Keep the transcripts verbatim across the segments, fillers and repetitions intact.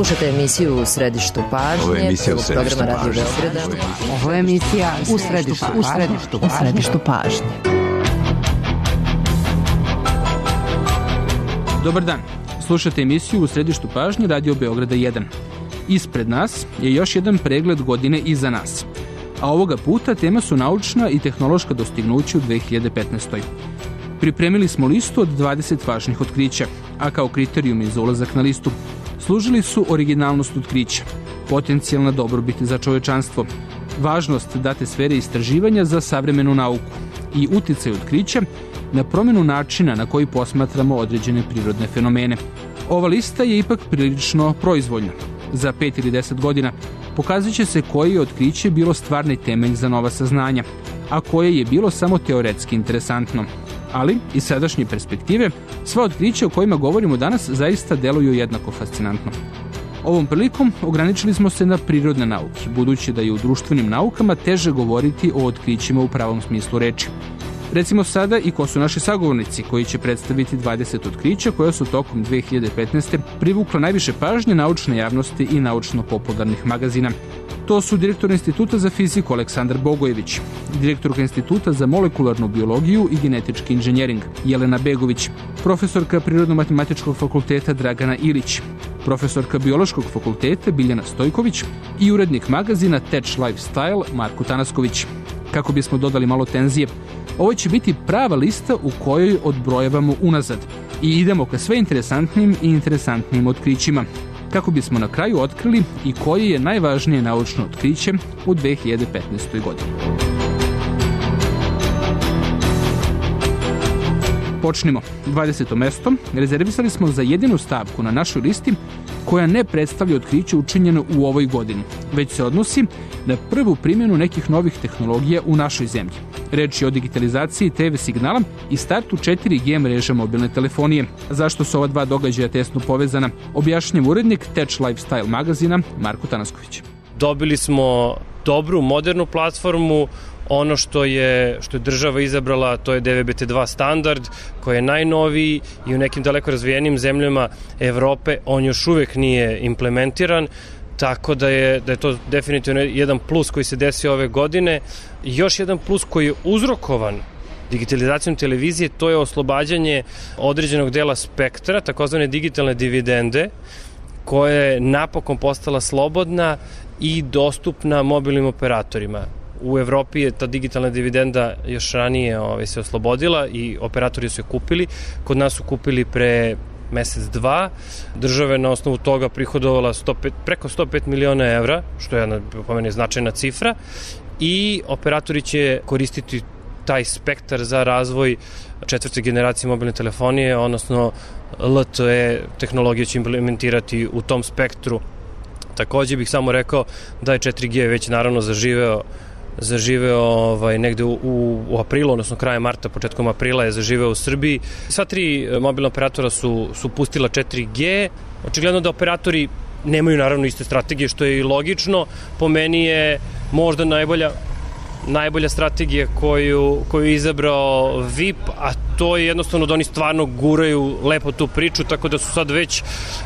Slušajte emisiju U središtu pažnje. Ovo je emisija U središtu pažnje. Ovo je emisija U središtu pažnje. U središtu pažnje. Dobar dan. Slušajte emisiju U središtu pažnje Radio Beograda jedan. Ispred nas je još jedan pregled godine iza nas. A ovoga puta tema su naučna i tehnološka dostignuća u dve hiljade petnaestoj. Pripremili smo listu od dvadeset važnih otkrića, a kao kriterijumi za ulazak na listu služili su originalnost otkrića, potencijalna dobrobit za čovečanstvo, važnost date sfere istraživanja za savremenu nauku i uticaj otkrića na promjenu načina na koji posmatramo određene prirodne fenomene. Ova lista je ipak prilično proizvoljna. Za pet ili deset godina pokazat će se koje je otkriće bilo stvarni temelj za nova saznanja, a koje je bilo samo teoretski interesantno. Ali, iz sadašnje perspektive, sva otkrića o kojima govorimo danas zaista deluju jednako fascinantno. Ovom prilikom ograničili smo se na prirodne nauke, budući da je u društvenim naukama teže govoriti o otkrićima u pravom smislu reči. Recimo sada i ko su naši sagovornici koji će predstaviti dvadeset otkrića koja su tokom dve hiljade petnaeste. privukla najviše pažnje naučne javnosti i naučno-popularnih magazina. To su direktor Instituta za fiziku Aleksandar Bogojević, direktorka Instituta za molekularnu biologiju i genetički inženjering Jelena Begović, profesorka Prirodno-matematičkog fakulteta Dragana Ilić, profesorka Biološkog fakulteta Biljana Stojković i urednik magazina Tech Lifestyle Marko Tanasković. Kako bismo dodali malo tenzije, ovo će biti prava lista u kojoj odbrojavamo unazad i idemo ka sve interesantnim i interesantnim otkrićima, kako bismo na kraju otkrili i koje je najvažnije naučno otkriće u dve hiljade petnaestoj. godini. Počnimo. dvadeseto mesto rezervisali smo za jedinu stavku na našoj listi koja ne predstavlja otkriće učinjeno u ovoj godini, već se odnosi na prvu primjenu nekih novih tehnologija u našoj zemlji. Reč je o digitalizaciji te ve signala i startu četiri G mreža mobilne telefonije. Zašto su ova dva događaja tesno povezana, objašnjava urednik Tech Lifestyle magazina Marko Tanasković. Dobili smo dobru, modernu platformu. Ono što je, što je država izabrala, to je D V B T dva standard, koji je najnoviji i u nekim daleko razvijenim zemljama Evrope on još uvek nije implementiran, tako da je, da je to definitivno jedan plus koji se desio ove godine. Još jedan plus koji je uzrokovan digitalizacijom televizije, to je oslobađanje određenog dela spektra, takozvane digitalne dividende, koja je napokon postala slobodna i dostupna mobilnim operatorima. U Evropi je ta digitalna dividenda još ranije ovaj, se oslobodila i operatori su je kupili. Kod nas su kupili pre mesec, dva. Država je na osnovu toga prihodovala sto pet, preko sto pet miliona evra, što je jedna, po meni, značajna cifra. I operatori će koristiti taj spektar za razvoj četvrte generacije mobilne telefonije, odnosno L T E tehnologiju će implementirati u tom spektru. Takođe bih samo rekao da je četiri G već naravno zaživeo zaživeo ovaj, negde u, u, u aprilu, odnosno krajem marta, početkom aprila je zaživeo u Srbiji. Sva tri mobilna operatora su, su pustila četiri G. Očigledno da operatori nemaju naravno iste strategije, što je i logično. Po meni je možda najbolja najbolja strategija koju, koju je izabrao V I P, a to je jednostavno da oni stvarno guraju lepo tu priču, tako da su sad već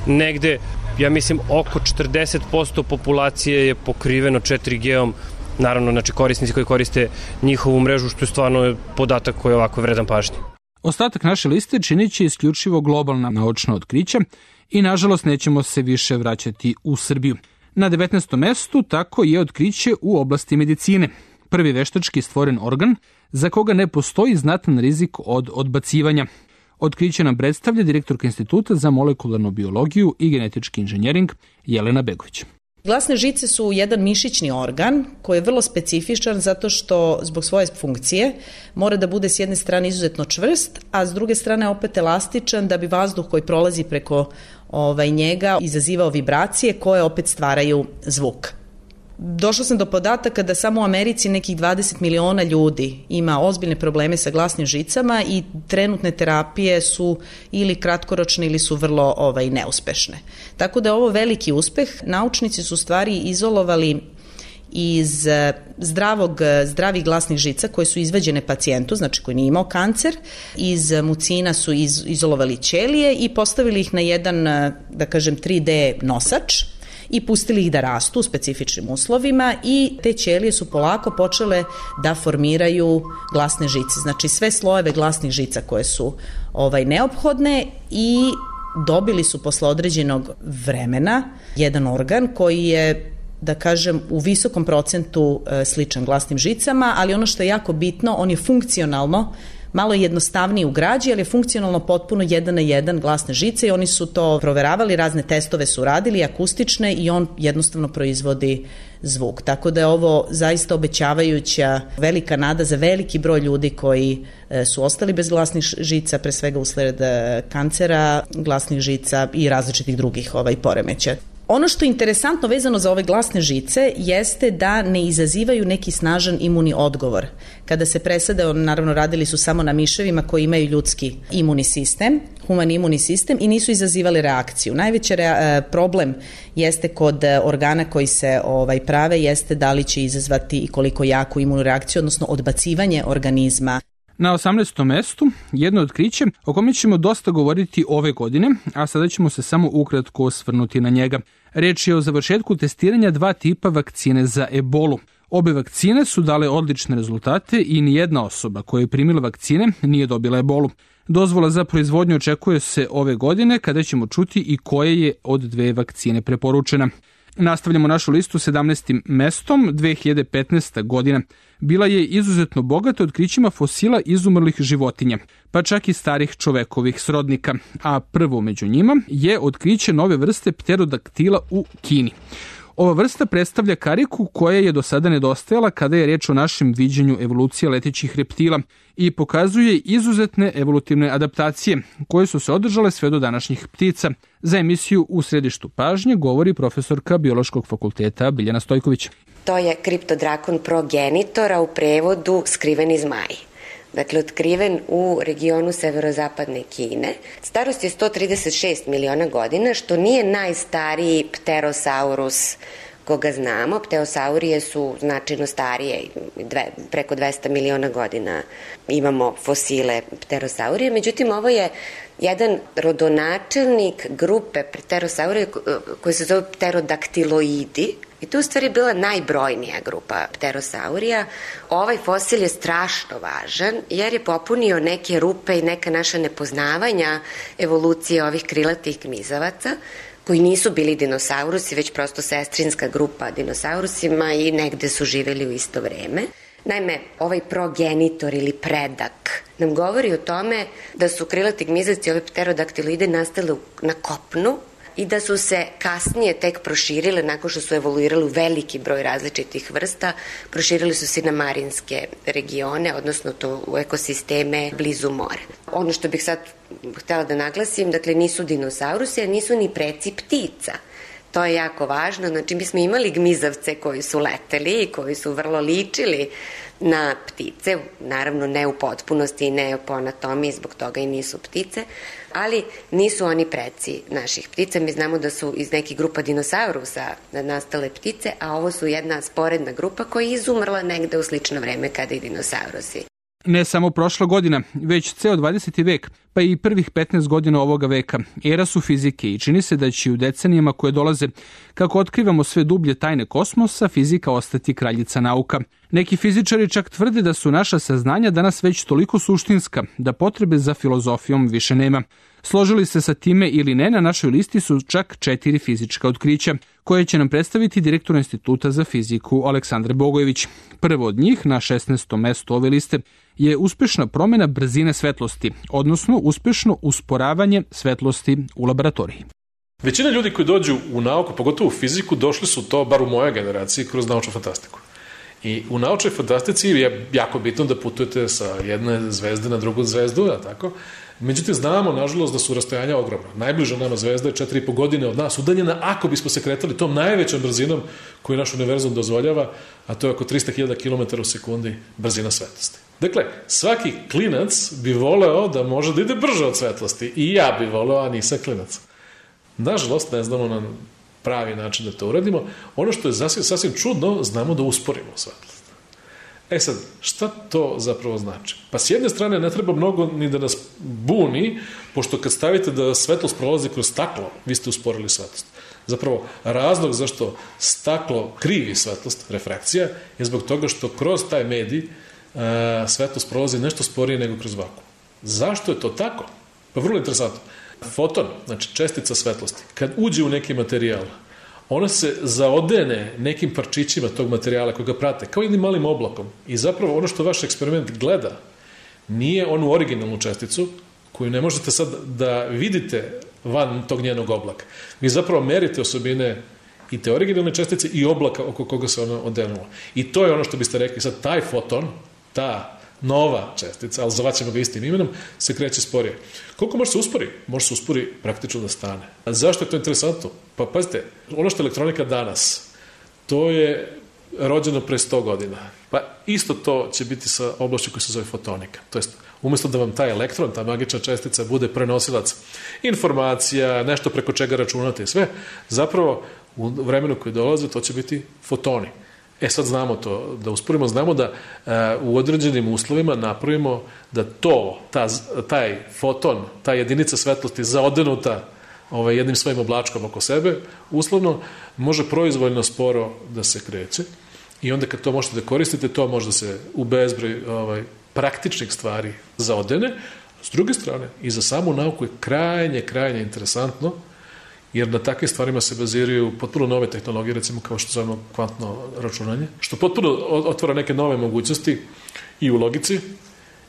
negde, ja mislim, oko četrdeset posto populacije je pokriveno četiri G-om. Naravno, znači korisnici koji koriste njihovu mrežu, što je stvarno podatak koji je ovako vredan pažnje. Ostatak naše liste činit će isključivo globalna naučna otkrića i nažalost nećemo se više vraćati u Srbiju. Na devetnaestom mestu tako je otkriće u oblasti medicine. Prvi veštački stvoren organ za koga ne postoji znatan rizik od odbacivanja. Otkriće nam predstavlja direktorka Instituta za molekularnu biologiju i genetički inženjering Jelena Begović. Glasne žice su jedan mišićni organ koji je vrlo specifičan zato što zbog svoje funkcije mora da bude s jedne strane izuzetno čvrst, a s druge strane opet elastičan da bi vazduh koji prolazi preko ovaj, njega izazivao vibracije koje opet stvaraju zvuk. Došla sam do podataka da samo u Americi nekih dvadeset miliona ljudi ima ozbiljne probleme sa glasnim žicama i trenutne terapije su ili kratkoročne ili su vrlo ovaj, neuspešne. Tako da je ovo veliki uspeh. Naučnici su u stvari izolovali iz zdravog, zdravih glasnih žica koje su izvađene pacijentu, znači koji nije imao kancer. Iz mucina su iz, izolovali ćelije i postavili ih na jedan, da kažem, tri D nosač i pustili ih da rastu u specifičnim uslovima i te ćelije su polako počele da formiraju glasne žice. Znači sve slojeve glasnih žica koje su ovaj, neophodne i dobili su posle određenog vremena jedan organ koji je, da kažem, u visokom procentu sličan glasnim žicama, ali ono što je jako bitno, on je funkcionalno malo jednostavniji u građi, ali je funkcionalno potpuno jedan na jedan glasne žice i oni su to proveravali, razne testove su radili, akustične, i on jednostavno proizvodi zvuk. Tako da je ovo zaista obećavajuća velika nada za veliki broj ljudi koji su ostali bez glasnih žica, pre svega usled kancera glasnih žica i različitih drugih ovaj, poremeća. Ono što je interesantno vezano za ove glasne žice jeste da ne izazivaju neki snažan imuni odgovor. Kada se presade, naravno radili su samo na miševima koji imaju ljudski imuni sistem, humani imuni sistem, i nisu izazivali reakciju. Najveći rea- problem jeste kod organa koji se ovaj, prave, jeste da li će izazvati i koliko jaku imunu reakciju, odnosno odbacivanje organizma. Na osamnaestom mestu jedno otkriće o kome ćemo dosta govoriti ove godine, a sada ćemo se samo ukratko osvrnuti na njega. Reč je o završetku testiranja dva tipa vakcine za ebolu. Obe vakcine su dale odlične rezultate i nijedna osoba koja je primila vakcine nije dobila ebolu. Dozvola za proizvodnju očekuje se ove godine, kada ćemo čuti i koje je od dve vakcine preporučena. Nastavljamo našu listu sedamnaestim mestom. dve hiljade petnaesta. godina bila je izuzetno bogata otkrićima fosila izumrlih životinja, pa čak i starih čovekovih srodnika, a prvo među njima je otkriće nove vrste pterodaktila u Kini. Ova vrsta predstavlja kariku koja je do sada nedostajala kada je reč o našem viđenju evolucije letećih reptila i pokazuje izuzetne evolutivne adaptacije koje su se održale sve do današnjih ptica. Za emisiju U središtu pažnje govori profesorka Biološkog fakulteta Biljana Stojković. To je kriptodrakon progenitora, u prevodu skriveni zmaj. Dakle, otkriven u regionu severozapadne Kine. Starost je sto trideset šest miliona godina, što nije najstariji pterosaurus koga znamo. Pterosaurije su značajno starije, dve, preko dvesta miliona godina imamo fosile pterosaurije. Međutim, ovo je jedan rodonačelnik grupe pterosaurije koji se zove pterodaktiloidi. I to je u stvari bila najbrojnija grupa pterosaurija. Ovaj fosil je strašno važan jer je popunio neke rupe i neka naša nepoznavanja evolucije ovih krilatih gmizavaca, koji nisu bili dinosaurusi, već prosto sestrinska grupa dinosaurusima i negde su živeli u isto vreme. Naime, ovaj progenitor ili predak nam govori o tome da su krilati gmizavci, ove pterodaktiloide, nastale na kopnu i da su se kasnije tek proširile, nakon što su evoluirali u veliki broj različitih vrsta, proširili su se na marinske regione, odnosno to u ekosisteme blizu mora. Ono što bih sad htela da naglasim, dakle nisu dinosaurusi, a nisu ni preci ptica. To je jako važno, znači mi smo imali gmizavce koji su leteli i koji su vrlo ličili na ptice, naravno ne u potpunosti i ne po anatomiji, zbog toga i nisu ptice, ali nisu oni preci naših ptica. Mi znamo da su iz nekih grupa dinosaurusa nastale ptice, a ovo su jedna sporedna grupa koja je izumrla negde u slično vreme kada i dinosaurusi. Ne samo prošla godina, već ceo dvadeseti vek, pa i prvih petnaest godina ovoga veka, era su fizike i čini se da će u decenijama koje dolaze, kako otkrivamo sve dublje tajne kosmosa, fizika ostati kraljica nauka. Neki fizičari čak tvrde da su naša saznanja danas već toliko suštinska, da potrebe za filozofijom više nema. Složili se sa time ili ne, na našoj listi su čak četiri fizička otkrića, koje će nam predstaviti direktor Instituta za fiziku Aleksandar Bogojević. Prvo od njih, na šesnaestom mestu ove liste, je uspešna promena brzine svetlosti, odnosno uspešno usporavanje svetlosti u laboratoriji. Većina ljudi koji dođu u nauku, pogotovo u fiziku, došli su to, bar u mojoj generaciji, kroz naučnu fantastiku. I u naučnoj fantastici je jako bitno da putujete sa jedne zvezde na drugu zvezdu, a tako. Međutim, znamo, nažalost, da su rastojanja ogromna. Najbliža nama zvezda je četiri i po godine od nas udaljena, ako bismo se kretali tom najvećom brzinom koju naš univerzum dozvoljava, a to je oko trista hiljada kilometara u sekundi brzina svetlosti. Dakle, svaki klinac bi voleo da može da ide brže od svetlosti. I ja bi voleo, a nisam klinac. Nažalost, ne znamo nam pravi način da to uradimo. Ono što je sasvim, sasvim čudno, znamo da usporimo svetlost. E sad, šta to zapravo znači? Pa s jedne strane ne treba mnogo ni da nas buni, pošto kad stavite da svetlost prolazi kroz staklo, vi ste usporili svetlost. Zapravo, razlog zašto staklo krivi svetlost, refrakcija, je zbog toga što kroz taj medij uh, svetlost prolazi nešto sporije nego kroz vakuum. Zašto je to tako? Pa vrlo interesantno. Foton, znači čestica svetlosti, kad uđe u neki materijal, ona se zaodene nekim parčićima tog materijala koji ga prate, kao jednim malim oblakom. I zapravo ono što vaš eksperiment gleda nije onu originalnu česticu koju ne možete sad da vidite van tog njenog oblaka. Vi zapravo merite osobine i te originalne čestice i oblaka oko koga se ona odenula. I to je ono što biste rekli, sad taj foton, ta nova čestica, ali zvaćemo ga istim imenom, se kreće sporije. Koliko može se uspori? Može se uspori praktično da stane. A zašto je to interesantno? Pa pazite, ono što je elektronika danas, to je rođeno pre sto godina. Pa isto to će biti sa oblašću koja se zove fotonika. To jest, umjesto da vam taj elektron, ta magična čestica bude prenosilac informacija, nešto preko čega računate i sve, zapravo u vremenu koji dolaze to će biti fotoni. E sad znamo to, da usporimo, znamo da uh, u određenim uslovima napravimo da to, ta, taj foton, ta jedinica svetlosti zaodenuta ovaj, jednim svojim oblačkom oko sebe, uslovno može proizvoljno sporo da se kreće i onda kad to možete da koristite, to može da se u bezbroj ovaj, praktičnih stvari zaodene. S druge strane, i za samu nauku je krajnje, krajnje interesantno, jer na takvim stvarima se baziraju potpuno nove tehnologije, recimo kao što zovemo kvantno računanje, što potpuno otvara neke nove mogućnosti i u logici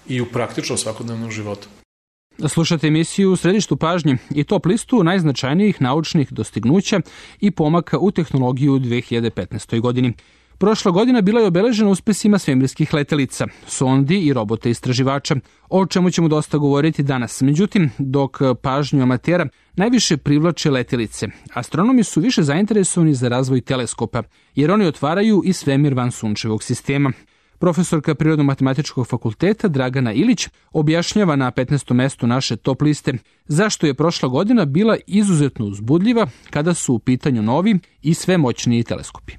i u praktičnom svakodnevnom životu. Slušate emisiju u središtu pažnje i top listu najznačajnijih naučnih dostignuća i pomaka u tehnologiju u dve hiljade petnaestoj. godini. Prošla godina bila je obeležena uspesima svemirskih letelica, sondi i robota istraživača, o čemu ćemo dosta govoriti danas. Međutim, dok pažnju amatera najviše privlače letelice, astronomi su više zainteresovani za razvoj teleskopa, jer oni otvaraju i svemir van sunčevog sistema. Profesorka Prirodno-matematičkog fakulteta Dragana Ilić objašnjava na petnaestom mestu naše top liste zašto je prošla godina bila izuzetno uzbudljiva kada su u pitanju novi i sve moćniji teleskopi.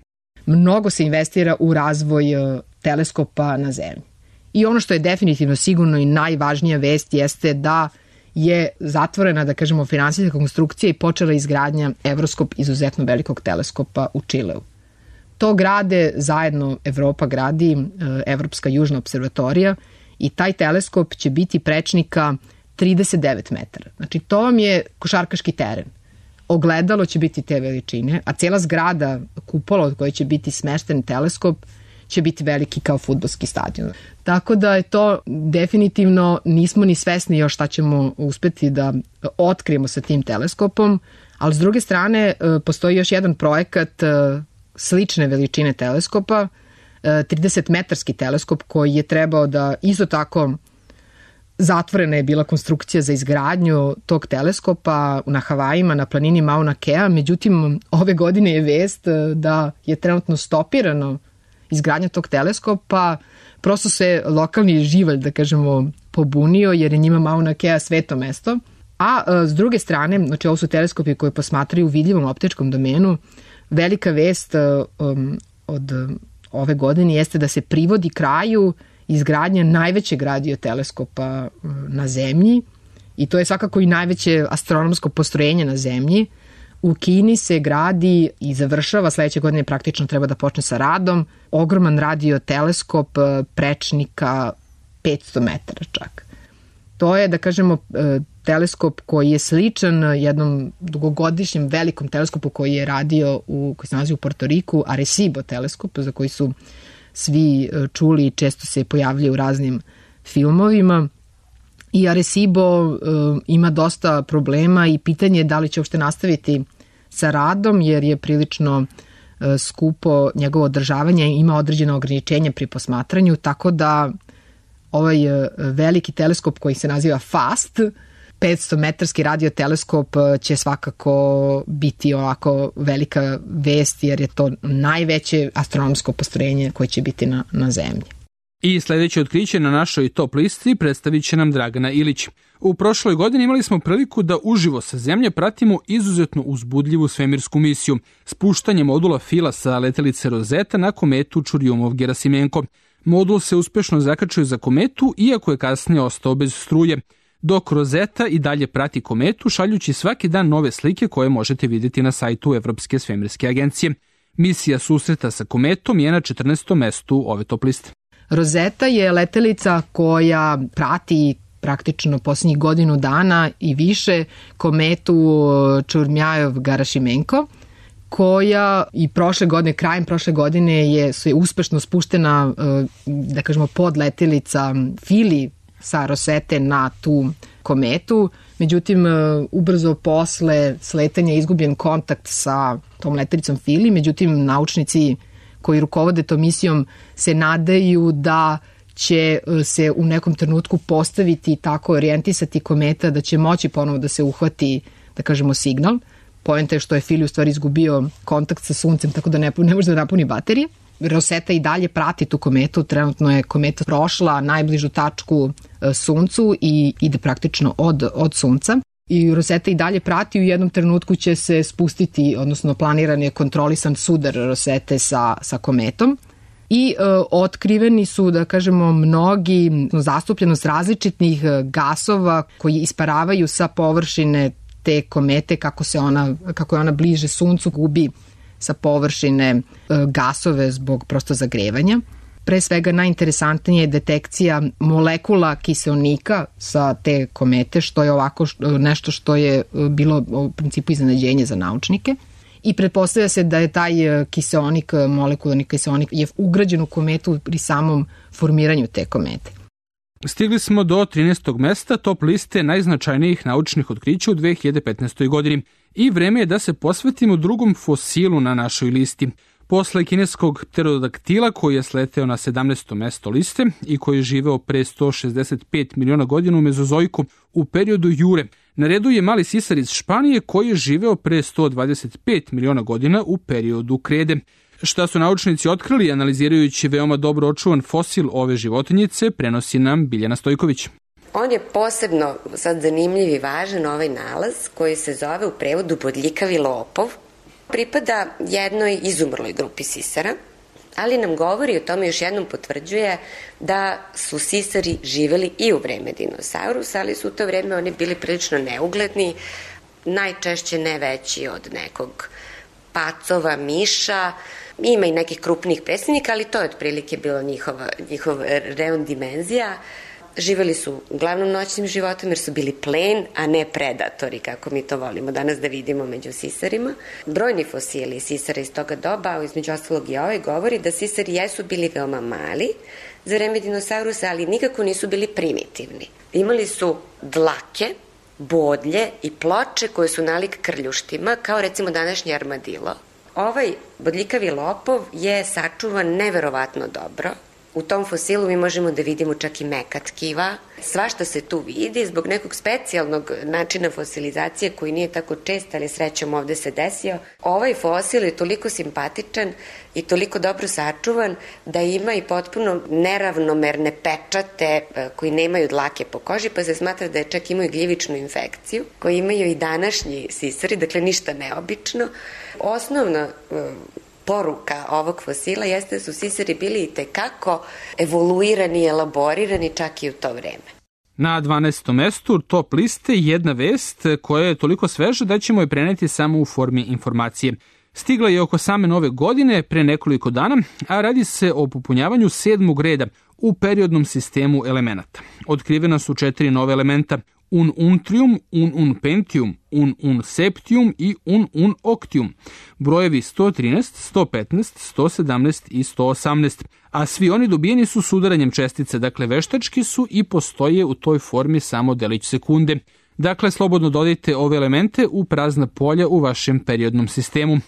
Mnogo se investira u razvoj teleskopa na Zemlji. I ono što je definitivno sigurno i najvažnija vest jeste da je zatvorena, da kažemo, finansijska konstrukcija i počela izgradnja Evroskop izuzetno velikog teleskopa u Čileu. To grade zajedno, Evropa gradi, Evropska južna observatorija i taj teleskop će biti prečnika trideset devet metara. Znači to vam je košarkaški teren. Ogledalo će biti te veličine, a cijela zgrada, kupola od koje će biti smešten teleskop, će biti veliki kao fudbalski stadion. Tako da je to definitivno, nismo ni svesni još šta ćemo uspeti da otkrijemo sa tim teleskopom, ali s druge strane postoji još jedan projekat slične veličine teleskopa, trideset metarski teleskop koji je trebao da isto tako zatvorena je bila konstrukcija za izgradnju tog teleskopa na Havajima, na planini Mauna Kea, međutim ove godine je vest da je trenutno stopirano izgradnja tog teleskopa, prosto se lokalni živalj, da kažemo, pobunio jer je njima Mauna Kea sveto mesto, a s druge strane, znači ovo su teleskopi koji posmatraju u vidljivom optičkom domenu, velika vest um, od ove godine jeste da se privodi kraju izgradnja najvećeg radioteleskopa na Zemlji i to je svakako i najveće astronomsko postrojenje na Zemlji. U Kini se gradi i završava, sledeće godine praktično treba da počne sa radom, ogroman radioteleskop prečnika petsto metara čak. To je, da kažemo, teleskop koji je sličan jednom dugogodišnjem velikom teleskopu koji je radio, u, koji se nalazi u Portoriku, Arecibo teleskop, za koji su svi čuli i često se pojavljaju u raznim filmovima. I Arecibo uh, ima dosta problema i pitanje je da li će uopšte nastaviti sa radom, jer je prilično uh, skupo njegovo održavanje, ima određeno ograničenje pri posmatranju, tako da ovaj uh, veliki teleskop koji se naziva FAST, petsto metarski radioteleskop, će svakako biti ovako velika vest, jer je to najveće astronomsko postrojenje koje će biti na, na Zemlji. I sledeće otkriće na našoj top listi predstavit će nam Dragana Ilić. U prošloj godini imali smo priliku da uživo sa Zemlje pratimo izuzetno uzbudljivu svemirsku misiju, spuštanje modula Fila sa letelice Rosetta na kometu Čurjumov-Gerasimenko. Modul se uspešno zakačio za kometu, iako je kasnije ostao bez struje, dok Rosetta i dalje prati kometu, šaljući svaki dan nove slike koje možete vidjeti na sajtu Evropske svemirske agencije. Misija susreta sa kometom je na četrnaestom mestu ove top liste. Rosetta je letelica koja prati praktično posljednjih godinu dana i više kometu Čurjumov-Gerasimenko, koja i prošle godine, krajem prošle godine je, je uspešno spuštena, da kažemo, podletelica Fili sa Rosette na tu kometu. Međutim, ubrzo posle sletanja je izgubljen kontakt sa tom letelicom Fili, međutim, naučnici koji rukovode tom misijom se nadaju da će se u nekom trenutku postaviti i tako orijentisati kometa da će moći ponovo da se uhvati, da kažemo, signal. Poenta je što je Fili u stvari izgubio kontakt sa Suncem, tako da ne, ne može da napuni baterije. Rosetta i dalje prati tu kometu, trenutno je kometa prošla najbližu tačku Suncu i ide praktično od, od Sunca. I Rosetta i dalje prati, u jednom trenutku će se spustiti, odnosno planiran je kontrolisan sudar Rosette sa, sa kometom. I e, otkriveni su, da kažemo, mnogi zastupljenost različitih gasova koji isparavaju sa površine te komete, kako se ona, kako je ona bliže Suncu, gubi sa površine e, gasove zbog prosto zagrevanja. Pre svega najinteresantnije je detekcija molekula kiseonika sa te komete, što je ovako nešto što je bilo u principu iznenađenje za naučnike. I pretpostavlja se da je taj kiseonik, molekularni kiseonik, je ugrađen u kometu pri samom formiranju te komete. Stigli smo do trinaestog mesta top liste najznačajnijih naučnih otkrića u dve hiljade petnaestoj. godini i vreme je da se posvetimo drugom fosilu na našoj listi. Posle kineskog pterodaktila koji je sleteo na sedamnaesto mesto liste i koji je živeo pre sto šezdeset pet miliona godina u Mezozojku u periodu Jure, na redu je mali sisar iz Španije koji je živeo pre sto dvadeset pet miliona godina u periodu Krede. Šta su naučnici otkrili analizirajući veoma dobro očuvan fosil ove životinjice, prenosi nam Biljana Stojković. On je posebno sad zanimljiv i važan ovaj nalaz koji se zove u prevodu bodljikavi lopov. Pripada jednoj izumrloj grupi sisara, ali nam govori o tome, još jednom potvrđuje da su sisari živeli i u vreme dinosaurusa, ali su u to vreme oni bili prilično neugledni, najčešće ne veći od nekog pacova, miša, ima i nekih krupnih predstavnika, ali to je otprilike bilo njihova, njihov reon dimenzija. Živeli su uglavnom noćnim životom jer su bili plen, a ne predatori, kako mi to volimo danas da vidimo među sisarima. Brojni fosili sisara iz toga doba, između ostalog i ovaj, govori da sisari jesu bili veoma mali za vreme dinosaurusa, ali nikako nisu bili primitivni. Imali su dlake, bodlje i ploče koje su nalik krljuštima, kao recimo današnji armadilo. Ovaj bodljikavi lopov je sačuvan neverovatno dobro. U tom fosilu mi možemo da vidimo čak i meka tkiva. Svašta se tu vidi zbog nekog specijalnog načina fosilizacije koji nije tako čest, ali srećom ovde se desio. Ovaj fosil je toliko simpatičan i toliko dobro sačuvan da ima i potpuno neravnomerne pečate koji nemaju dlake po koži, pa se smatra da je čak imaju gljivičnu infekciju koju imaju i današnji sisari, dakle ništa neobično. Osnovna poruka ovog fosila jeste da su sisari bili i tekako evoluirani i elaborirani čak i u to vreme. Na dvanaestom mestu top liste jedna vest koja je toliko sveža da ćemo je preneti samo u formi informacije. Stigla je oko same nove godine pre nekoliko dana, a radi se o popunjavanju sedmog reda u periodnom sistemu elemenata. Otkrivena su četiri nove elementa: Un untrium, un unpentium, un unseptium i un unoctium. Brojevi sto trinaest, sto petnaest, sto sedamnaest i sto osamnaest, a svi oni dobijeni su sudaranjem čestice, dakle veštački su i postoje u toj formi samo delić sekunde. Dakle, slobodno dodajte ove elemente u prazna polja u vašem periodnom sistemu.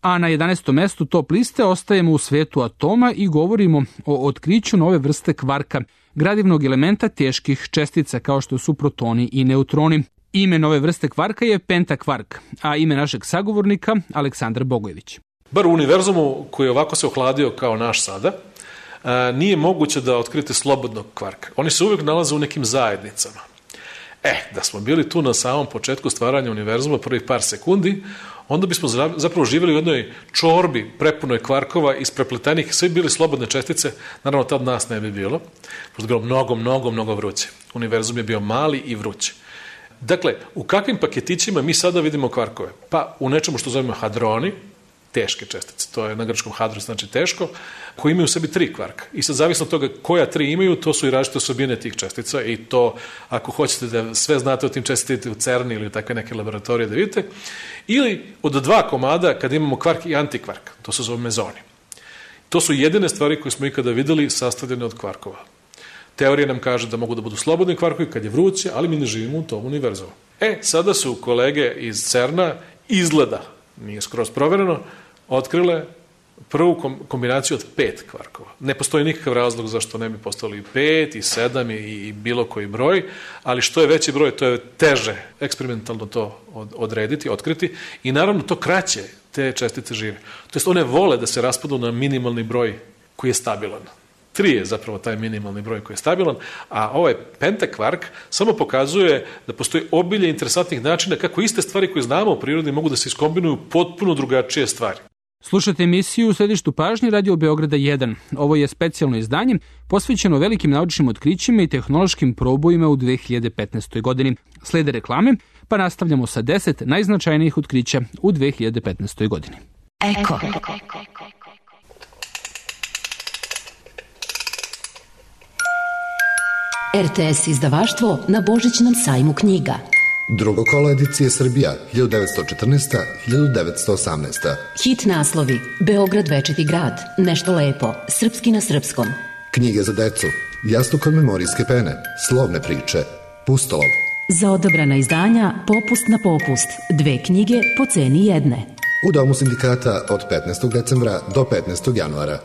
A na jedanaestom mestu top liste ostajemo u svetu atoma i govorimo o otkriću nove vrste kvarka, gradivnog elementa teških čestica kao što su protoni i neutroni. Ime nove vrste kvarka je pentakvark, a ime našeg sagovornika Aleksandar Bogojević. Bar u univerzumu koji ovako se ohladio kao naš sada, a, nije moguće da otkrite slobodnog kvarka. Oni se uvijek nalaze u nekim zajednicama. E, da smo bili tu na samom početku stvaranja univerzuma, prvih par sekundi, onda bismo zapravo živjeli u jednoj čorbi prepunoj kvarkova isprepletanih, sve bili slobodne čestice, naravno tad nas ne bi bilo, pošto je bilo mnogo, mnogo, mnogo vruće. Univerzum je bio mali i vruće. Dakle, u kakvim paketićima mi sada vidimo kvarkove? Pa u nečemu što zovemo hadroni, teške čestice, to je na grčkom hadros, znači teško, koji imaju u sebi tri kvarka. I sad zavisno od toga koja tri imaju, to su i različite osobine tih čestica i to, ako hoćete da sve znate o tim česticama u CERN ili u takve neke laboratorije da vidite, ili od dva komada kad imamo kvark i antikvark, to se zove mezoni. To su jedine stvari koje smo ikada videli sastavljene od kvarkova. Teorija nam kaže da mogu da budu slobodni kvarkovi kad je vruće, ali mi ne živimo u tom univerzumu. E, sada su kolege iz CERN-a izgleda, nije skroz provereno, otkrile prvu kombinaciju od pet kvarkova. Ne postoji nikakav razlog zašto ne bi postali i pet, i sedam, i, i bilo koji broj, ali što je veći broj, to je teže eksperimentalno to odrediti, otkriti i naravno to kraće te čestice žive. To jest one vole da se raspadu na minimalni broj koji je stabilan. Tri je zapravo taj minimalni broj koji je stabilan, a ovaj pentakvark samo pokazuje da postoji obilje interesantnih načina kako iste stvari koje znamo u prirodi mogu da se iskombinuju potpuno drugačije stvari. Slušate emisiju u središtu pažnje Radio Beograda jedan. Ovo je specijalno izdanje posvećeno velikim naučnim otkrićima i tehnološkim probojima u dve hiljade petnaestoj. godini. Slede reklame, pa nastavljamo sa deset najznačajnijih otkrića u dve hiljade petnaestoj. godini. Eko. R T S izdavaštvo na Božićnom sajmu knjiga. Drugo kolo edicije Srbija, hiljadu devetsto četrnaesta do hiljadu devetsto osamnaesta. Hit naslovi, Beograd večiti grad, Nešto lepo, Srpski na srpskom. Knjige za decu, Jastuk od memorijske pene, Slovne priče, Pustolov. Za odabrana izdanja, Popust na popust, dve knjige po ceni jedne. U Domu sindikata od petnaestog decembra do petnaestog januara.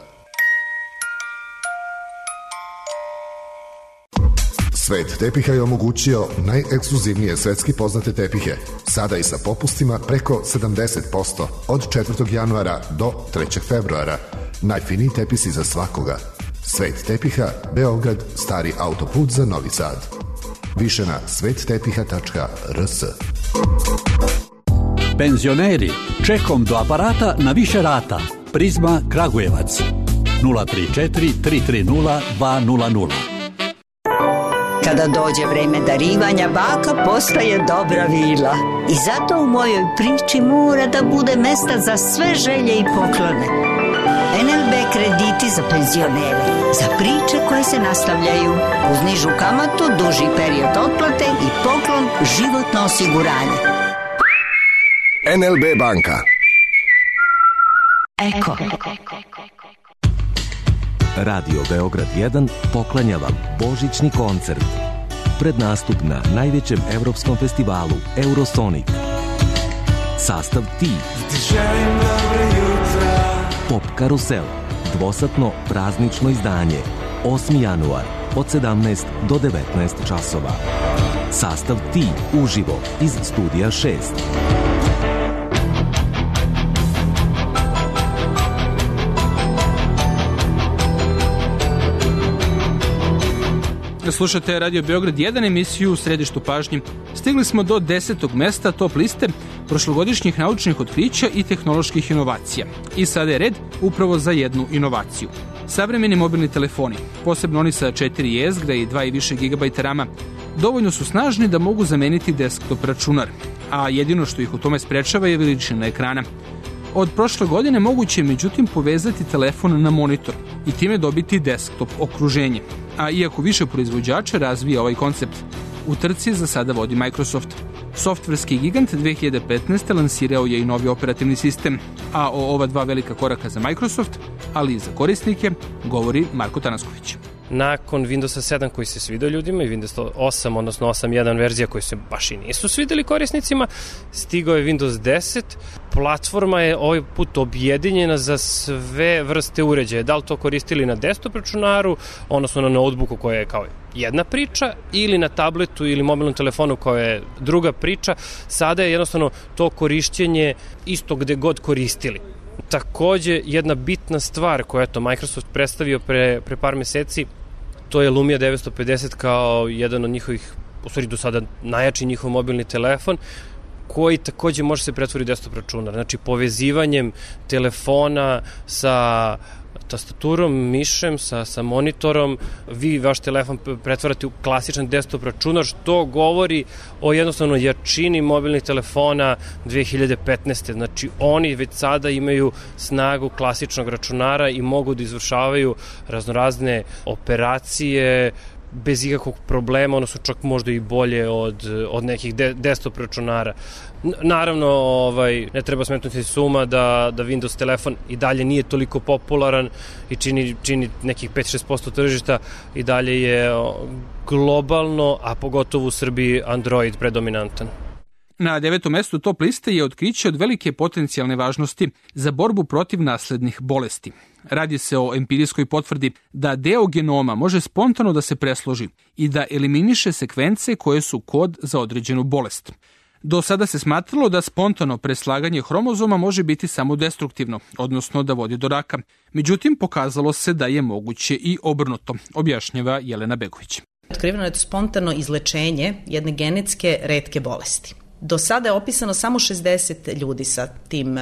Svet tepiha je omogućio najekskluzivnije svetski poznate tepihe, sada i sa popustima preko sedamdeset posto od četvrtog januara do trećeg februara. Najfiniji tepisi za svakoga. Svet tepiha, Beograd, stari autoput za Novi Sad. Više na svet tepiha tačka r s. Penzioneri, čekom do aparata na više rata. Prizma Kragujevac. nula tri četiri tri tri nula dva nula nula. Kada dođe vreme darivanja, baka postaje dobra vila. I zato u mojoj priči mora da bude mesta za sve želje i poklone. N L B krediti za penzionere, za priče koje se nastavljaju, uz nižu kamatu, duži period otplate i poklon životno osiguranje. N L B banka. Eko. Radio Beograd jedan poklanja vam božićni koncert. Pred nastup na najvećem evropskom festivalu Eurosonic. Sastav Ti. Pop Karusel. Dvosatno praznično izdanje. osmi januar od sedamnaest do devetnaest časova. Sastav Ti uživo iz studija šest. Slušate Radio Beograd jedan, emisiju u središtu pažnje. Stigli smo do desetog mesta top liste prošlogodišnjih naučnih otkrića i tehnoloških inovacija. I sada je red upravo za jednu inovaciju. Savremeni mobilni telefoni, posebno oni sa četiri jezgra i dva i više gigabajta rama, dovoljno su snažni da mogu zameniti desktop računar, a jedino što ih u tome sprečava je veličina ekrana. Od prošle godine moguće je međutim povezati telefon na monitor i time dobiti desktop okruženje. A iako više proizvođača razvija ovaj koncept, u trci za sada vodi Microsoft. Softverski gigant dve hiljade petnaeste. lansirao je i novi operativni sistem, a o ova dva velika koraka za Microsoft, ali i za korisnike, govori Marko Tanasković. Nakon Windowsa sedam koji se svidio ljudima i Windows osam, odnosno osam jedan verzija koji se baš i nisu svideli korisnicima, stigao je Windows deset. Platforma je ovaj put objedinjena za sve vrste uređaja. Da li to koristili na desktop računaru, odnosno na notebooku koja je kao jedna priča, ili na tabletu ili mobilnom telefonu koja je druga priča. Sada je jednostavno to korišćenje isto gde god koristili. Takođe, jedna bitna stvar koja je to Microsoft predstavio pre, pre par meseci, to je Lumia devetsto pedeset kao jedan od njihovih, u stvari do sada najjači njihov mobilni telefon, koji takođe može se pretvoriti u desktop računar. Znači, povezivanjem telefona sa tastaturom, mišem, sa, sa monitorom, vi vaš telefon pretvarate u klasičan desktop računar, što govori o jednostavno jačini mobilnih telefona dve hiljade petnaeste. Znači, oni već sada imaju snagu klasičnog računara i mogu da izvršavaju raznorazne operacije bez ikakvog problema, ono su čak možda i bolje od, od nekih de, desktop računara. Naravno, ovaj, ne treba smetnuti suma da, da Windows telefon i dalje nije toliko popularan i čini, čini nekih pet do šest posto tržišta, i dalje je globalno, a pogotovo u Srbiji, Android predominantan. Na devetom mestu top liste je otkriće od velike potencijalne važnosti za borbu protiv naslednih bolesti. Radi se o empirijskoj potvrdi da deo genoma može spontano da se presloži i da eliminiše sekvence koje su kod za određenu bolest. Do sada se smatralo da spontano preslaganje hromozoma može biti samo destruktivno, odnosno da vodi do raka. Međutim, pokazalo se da je moguće i obrnuto, objašnjava Jelena Begović. Otkriveno je to spontano izlečenje jedne genetske retke bolesti. Do sada je opisano samo šezdeset ljudi sa tim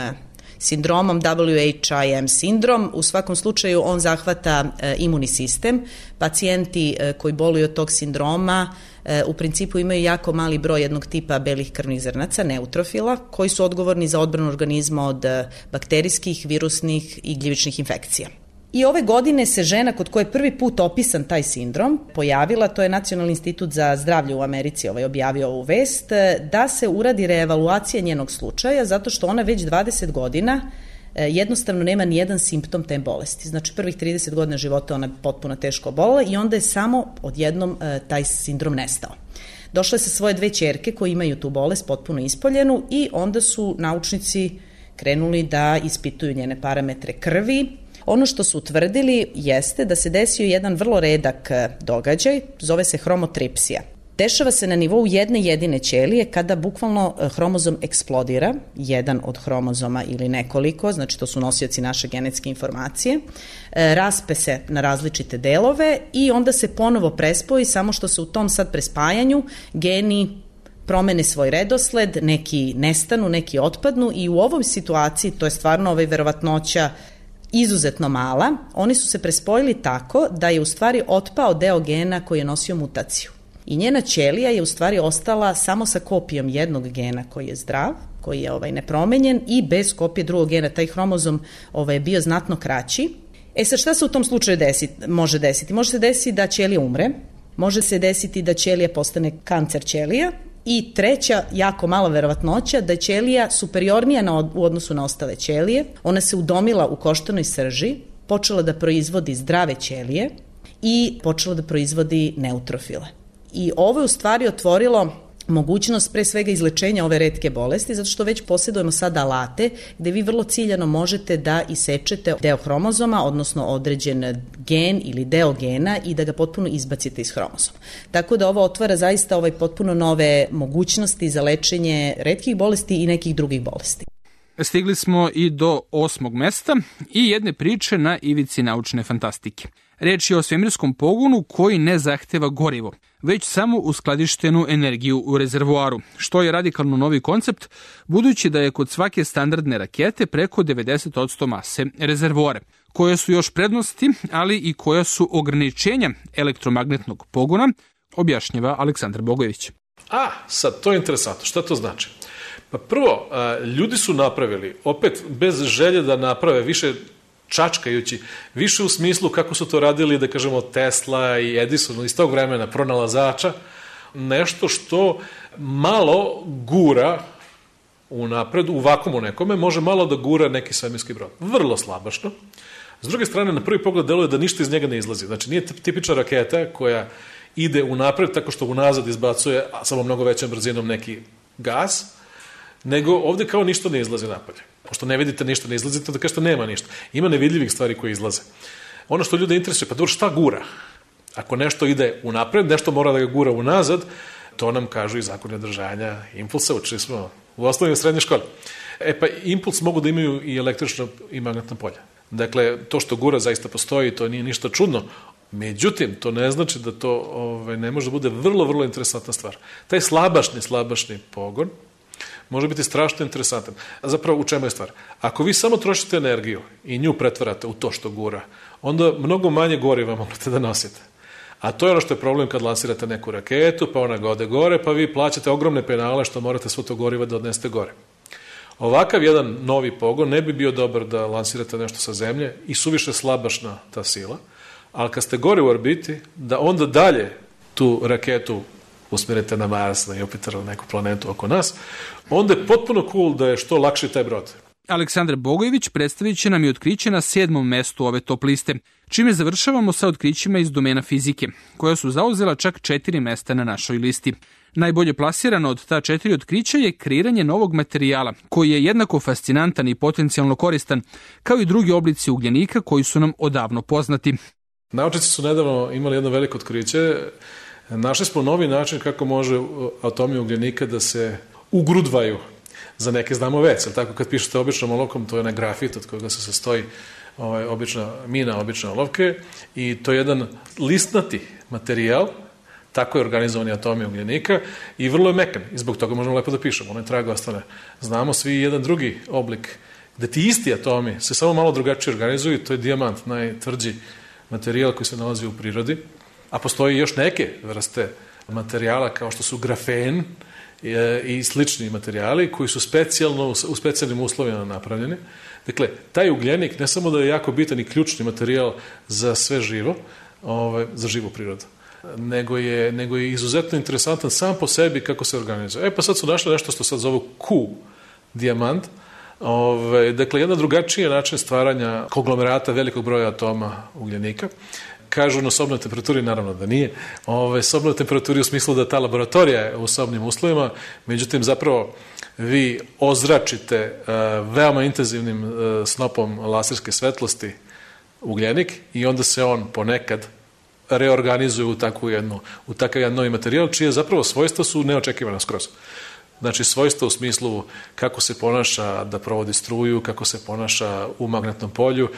sindromom, W H I M sindrom. U svakom slučaju on zahvata e, imunni sistem. Pacijenti e, koji boluju od tog sindroma e, u principu imaju jako mali broj jednog tipa belih krvnih zrnaca, neutrofila, koji su odgovorni za odbranu organizma od e, bakterijskih, virusnih i gljivičnih infekcija. I ove godine se žena kod koje je prvi put opisan taj sindrom pojavila, to je Nacionalni institut za zdravlje u Americi ovaj, objavio ovu vest, da se uradi reevaluacija njenog slučaja zato što ona već dvadeset godina jednostavno nema ni jedan simptom te bolesti. Znači prvih trideset godina života ona je potpuno teško obolela i onda je samo odjednom taj sindrom nestao. Došla je sa svoje dve ćerke koje imaju tu bolest potpuno ispoljenu i onda su naučnici krenuli da ispituju njene parametre krvi. Ono što su utvrdili jeste da se desio jedan vrlo redak događaj, zove se hromotripsija. Dešava se na nivou jedne jedine ćelije kada bukvalno hromozom eksplodira, jedan od hromozoma ili nekoliko, znači to su nosioci naše genetske informacije, raspe se na različite delove i onda se ponovo prespoji, samo što se u tom sad prespajanju geni promene svoj redosled, neki nestanu, neki otpadnu i u ovoj situaciji, to je stvarno ovaj verovatnoća izuzetno mala, oni su se prespojili tako da je u stvari otpao deo gena koji je nosio mutaciju. I njena ćelija je u stvari ostala samo sa kopijom jednog gena koji je zdrav, koji je ovaj nepromenjen i bez kopije drugog gena. Taj hromozom ovaj, je bio znatno kraći. E sad šta se u tom slučaju desi, može desiti? Može se desiti da ćelija umre, može se desiti da ćelija postane kancer ćelija i treća, jako mala verovatnoća, da je ćelija superiornija na, u odnosu na ostale ćelije. Ona se udomila u koštanoj srži, počela da proizvodi zdrave ćelije i počela da proizvodi neutrofile. I ovo je u stvari otvorilo mogućnost pre svega izlečenja ove retke bolesti, zato što već posjedujemo sad alate gde vi vrlo ciljano možete da isečete deo hromozoma, odnosno određen gen ili deo gena i da ga potpuno izbacite iz hromozoma. Tako da ovo otvara zaista ovaj potpuno nove mogućnosti za lečenje retkih bolesti i nekih drugih bolesti. Stigli smo i do osmog mesta i jedne priče na ivici naučne fantastike. Reč je o svemirskom pogonu koji ne zahteva gorivo, već samo uskladištenu energiju u rezervoaru, što je radikalno novi koncept, budući da je kod svake standardne rakete preko devedeset posto mase rezervoare, koje su još prednosti, ali i koja su ograničenja elektromagnetnog pogona, objašnjava Aleksandar Bogojević. A, sad, to je interesantno. Šta to znači? Pa prvo, ljudi su napravili, opet bez želje da naprave više čačkajući, više u smislu kako su to radili, da kažemo, Tesla i Edison iz tog vremena, pronalazača, nešto što malo gura u napred, u vakumu nekome, može malo da gura neki svemirski brod. Vrlo slabašno. S druge strane, na prvi pogled deluje da ništa iz njega ne izlazi. Znači, nije tipična raketa koja ide u napred tako što unazad izbacuje, a samo mnogo većom brzinom, neki gas, nego ovde kao ništa ne izlazi napolje. Pošto ne vidite ništa, ne izlazite, da kažete nema ništa. Ima nevidljivih stvari koje izlaze. Ono što ljude interesuje, pa dobro, šta gura? Ako nešto ide unapred, nešto mora da ga gura unazad, To nam kažu i zakoni održanja impulsa, učili smo u osnovnoj i srednjoj školi. E pa impuls mogu da imaju i električno i magnetno polje. Dakle, to što gura zaista postoji, to nije ništa čudno. Međutim, to ne znači da to ovaj, ne može da bude vrlo, vrlo interesantna stvar. Taj slabašni, slabašni pogon može biti strašno interesantan. A zapravo u čemu je stvar? Ako vi samo trošite energiju i nju pretvarate u to što gura, onda mnogo manje goriva možete da nosite. A to je ono što je problem kad lansirate neku raketu, pa ona ode gore, pa vi plaćate ogromne penale što morate svo to goriva da odnesete gore. Ovakav jedan novi pogon ne bi bio dobar da lansirate nešto sa zemlje i suviše slabašna ta sila, ali kad ste gore u orbiti, da onda dalje tu raketu usmerite na Mars, na Jupiter ili neku planetu oko nas, onda je potpuno cool da je što lakši taj brod. Aleksandar Bogojević predstavit će nam i otkriće na sedmom mestu ove top liste, čime završavamo sa otkrićima iz domena fizike, koja su zauzela čak četiri mesta na našoj listi. Najbolje plasirano od ta četiri otkrića je kreiranje novog materijala, koji je jednako fascinantan i potencijalno koristan, kao i drugi oblici ugljenika koji su nam odavno poznati. Naučnici su nedavno imali jedno veliko otkriće. Našli smo novi način kako može atomi ugljenika da se ugrudvaju. Za neke znamo već, ali tako kad pišete običnom olovkom, to je onaj grafit od kojega se sastoji ovaj, obična mina, obične olovke, i to je jedan listnati materijal, tako je organizovani atomi ugljenika i vrlo je mekan i zbog toga možemo lepo da pišemo, ono je trag ostane. Znamo svi jedan drugi oblik gde ti isti atomi se samo malo drugačije organizuju, to je dijamant, najtvrđi materijal koji se nalazi u prirodi, a postoji još neke vrste materijala kao što su grafen i slični materijali koji su specijalno, u specijalnim uslovima napravljeni. Dakle, taj ugljenik ne samo da je jako bitan i ključni materijal za sve živo, ovaj, za živu prirodu, nego je, nego je izuzetno interesantan sam po sebi kako se organizuje. E pa sad su našli nešto što sad zovu Q, dijamant. Ove, dakle, jedan drugačiji način stvaranja konglomerata velikog broja atoma ugljenika. Kažu na sobnoj temperaturi, naravno da nije. Ove, sobnoj temperaturi u smislu da ta laboratorija je u sobnim uslovima, međutim zapravo vi ozračite uh, veoma intenzivnim uh, snopom laserske svetlosti ugljenik i onda se on ponekad reorganizuje u takvu jednu, u takav jedan novi materijal, čije zapravo svojstva su neočekivana skroz. Znači, svojstva u smislu kako se ponaša da provodi struju, kako se ponaša u magnetnom polju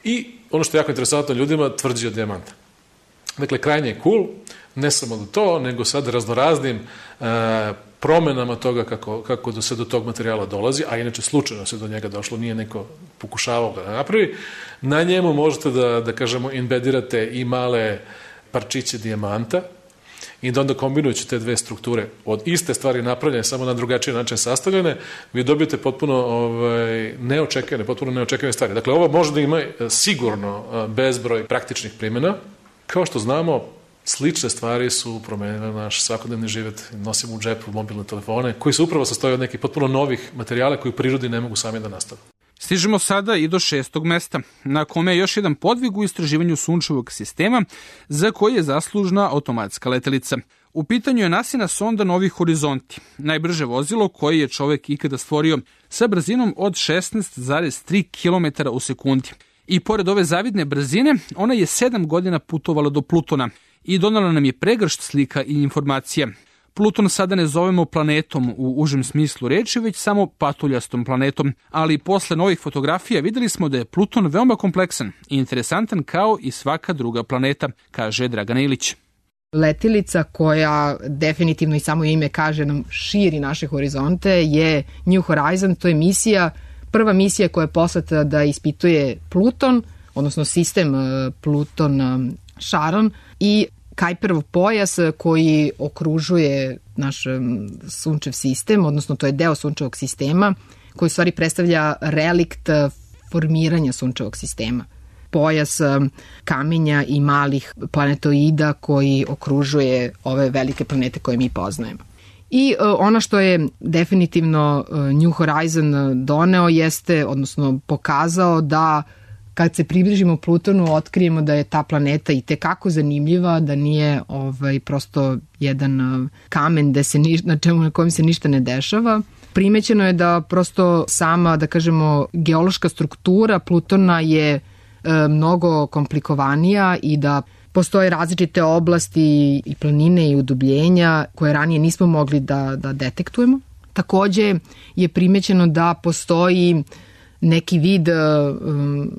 i ono što je jako interesantno ljudima, tvrđi od dijamanta. Dakle, krajnje je cool, ne samo do to, nego sad raznoraznim e, promenama toga kako, kako do se do tog materijala dolazi, a inače slučajno se do njega došlo, nije neko pokušavao ga da napravi. Na njemu možete da, da kažemo, imbedirate i male parčiće dijamanta i da onda kombinujući te dve strukture od iste stvari napravljene, samo na drugačiji način sastavljene, vi dobijete potpuno ovaj, neočekivane, potpuno neočekivane stvari. Dakle, ovo može da ima sigurno bezbroj praktičnih primjena. Kao što znamo, slične stvari su promenile naš svakodnevni život, nosimo u džepu mobilne telefone, koji se upravo sastoje od nekih potpuno novih materijala koji u prirodi ne mogu sami da nastave. Stižemo sada i do šestog mesta, na kome je još jedan podvig u istraživanju sunčevog sistema, za koji je zaslužna automatska letelica. U pitanju je NASIna sonda Novi horizonti, najbrže vozilo koje je čovek ikada stvorio, sa brzinom od šesnaest zarez tri kilometra u sekundi. I pored ove zavidne brzine, ona je sedam godina putovala do Plutona i donala nam je pregršt slika i informacija. Pluton sada ne zovemo planetom u užem smislu reči, već samo patuljastom planetom, ali posle novih fotografija videli smo da je Pluton veoma kompleksan i interesantan kao i svaka druga planeta, kaže Dragana Ilić. Letilica koja definitivno i samo ime kaže nam širi naše horizonte je New Horizon, to je misija, prva misija koja je poslata da ispituje Pluton, odnosno sistem Pluton-Charon i Kuiperov pojas koji okružuje naš sunčev sistem, odnosno to je deo sunčevog sistema koji u stvari predstavlja relikt formiranja sunčevog sistema. Pojas kamenja i malih planetoida koji okružuje ove velike planete koje mi poznajemo. I ono što je definitivno New Horizon doneo jeste, odnosno pokazao da kad se približimo Plutonu, otkrijemo da je ta planeta i tekako zanimljiva, da nije ovaj, prosto jedan kamen da se ni, na, čemu, na kojem se ništa ne dešava. Primećeno je da prosto sama, da kažemo, geološka struktura Plutona je e, mnogo komplikovanija i da Postoje različite oblasti i planine i udubljenja koje ranije nismo mogli da, da detektujemo. Takođe je primećeno da postoji neki vid um,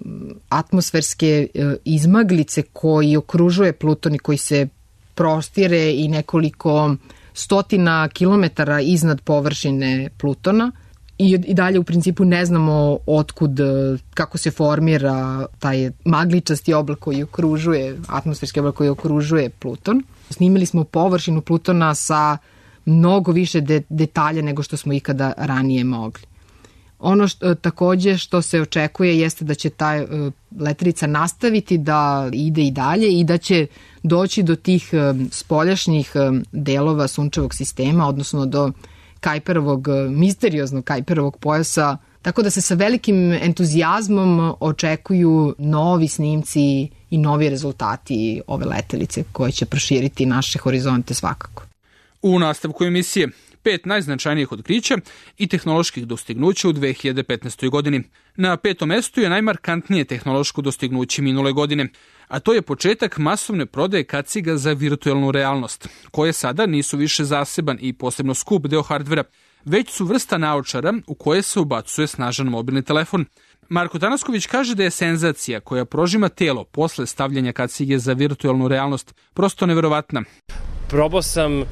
atmosferske uh, izmaglice koji okružuje Pluton i koji se prostire i nekoliko stotina kilometara iznad površine Plutona. I, I dalje u principu ne znamo otkud, kako se formira taj magličasti oblak koji okružuje, atmosferski oblak koji okružuje Pluton. Snimili smo površinu Plutona sa mnogo više de, detalja nego što smo ikada ranije mogli. Ono što, takođe što se očekuje jeste da će ta uh, letelica nastaviti da ide i dalje i da će doći do tih uh, spoljašnjih uh, delova sunčevog sistema, odnosno do Kajperovog, misterioznog Kajperovog pojasa, tako da se sa velikim entuzijazmom očekuju novi snimci i novi rezultati ove letelice koje će proširiti naše horizonte svakako. U nastavku emisije pet najznačajnijih otkrića i tehnoloških dostignuća u dve hiljade petnaestoj. godini. Na petom mestu je najmarkantnije tehnološko dostignuće minule godine, a to je početak masovne prodaje kaciga za virtuelnu realnost, koje sada nisu više zaseban i posebno skup deo hardvera, već su vrsta naočara u koje se ubacuje snažan mobilni telefon. Marko Tanasković kaže da je senzacija koja prožima telo posle stavljanja kacige za virtuelnu realnost prosto neverovatna. Probao sam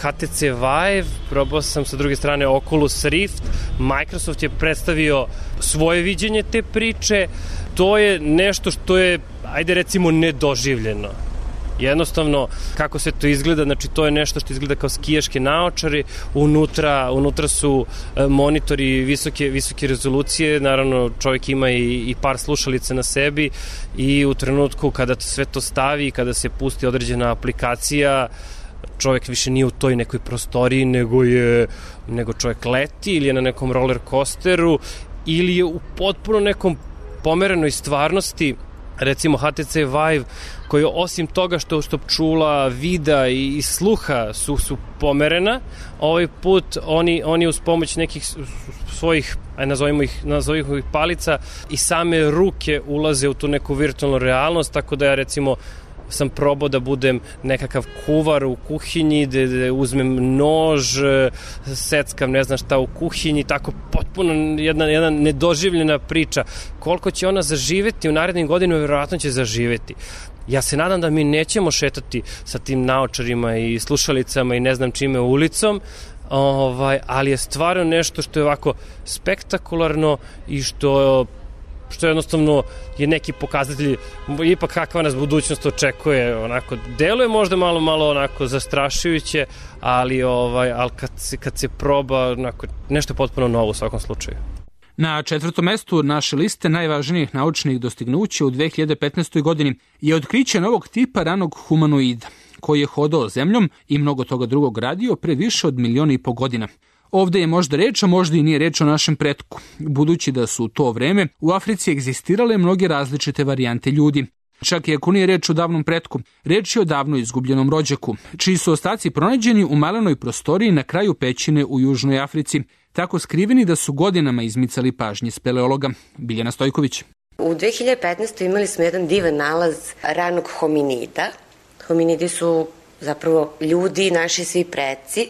H T C Vive, probao sam sa druge strane Oculus Rift, Microsoft je predstavio svoje viđenje te priče, to je nešto što je, ajde recimo, nedoživljeno. Jednostavno, kako se to izgleda, znači to je nešto što izgleda kao skijaške naočare, unutra, unutra su monitori visoke, visoke rezolucije, naravno čovjek ima i, i par slušalica na sebi i u trenutku kada sve to stavi, kada se pusti određena aplikacija, čovjek više nije u toj nekoj prostoriji, nego je nego čovjek leti ili je na nekom roller coasteru ili je u potpuno nekom pomerenoj stvarnosti. Recimo H T C Vive, koji osim toga što, što čula, vida i, i sluha su, su pomerena, ovaj put oni, oni uz pomoć nekih svojih, aj nazovimo ih, nazovimo ih palica i same ruke ulaze u tu neku virtualnu realnost, tako da ja recimo sam probao da budem nekakav kuvar u kuhinji, da, da uzmem nož, seckam ne znam šta u kuhinji, tako potpuno jedna, jedna nedoživljena priča. Koliko će ona zaživeti u narednim godinama, vjerojatno će zaživeti. Ja se nadam da mi nećemo šetati sa tim naočarima i slušalicama i ne znam čime ulicom, ovaj, ali je stvarno nešto što je ovako spektakularno i što što jednostavno je neki pokazatelj ipak kakva nas budućnost očekuje, onako deluje možda malo malo onako zastrašujuće, ali ovaj al kad se kad se proba onako nešto potpuno novo u svakom slučaju. Na četvrtom mestu naše liste najvažnijih naučnih dostignuća u dve hiljade petnaestoj. godini je otkriće novog tipa ranog humanoida, koji je hodao zemljom i mnogo toga drugog radio pre više od miliona i po godina. Ovde je možda reč, a možda i nije reč o našem pretku, budući da su u to vreme u Africi egzistirale mnoge različite varijante ljudi. Čak i ako nije reč o davnom pretku, reč je o davno izgubljenom rođaku, čiji su ostaci pronađeni u malenoj prostoriji na kraju pećine u Južnoj Africi, tako skriveni da su godinama izmicali pažnje speleologa. Biljana Stojković. U dve hiljade petnaestoj. imali smo jedan divan nalaz ranog hominida. Hominidi su zapravo ljudi, naši svi preci,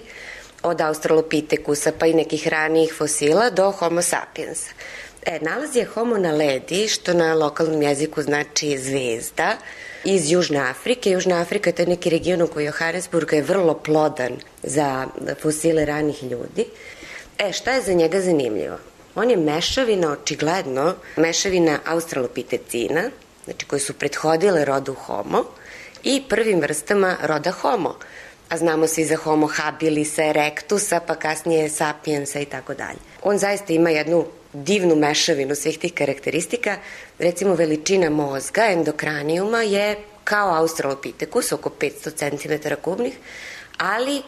od Australopitekusa pa i nekih ranijih fosila do Homo sapiensa. E, nalaz je Homo naledi, što na lokalnom jeziku znači zvezda, iz Južne Afrike. Južna Afrika je to neki region u koji Johannesburg je vrlo plodan za fosile ranih ljudi. E, šta je za njega zanimljivo? On je mešavina, očigledno, mešavina australopitecina, znači koji su prethodile rodu Homo, i prvim vrstama roda Homo. A znamo svi za Homo habilisa, erectusa, pa kasnije sapiensa i tako dalje. On zaista ima jednu divnu mešavinu svih tih karakteristika. Recimo, veličina mozga, endokranijuma, je kao Australopithecus, oko petsto centimetara kubnih, ali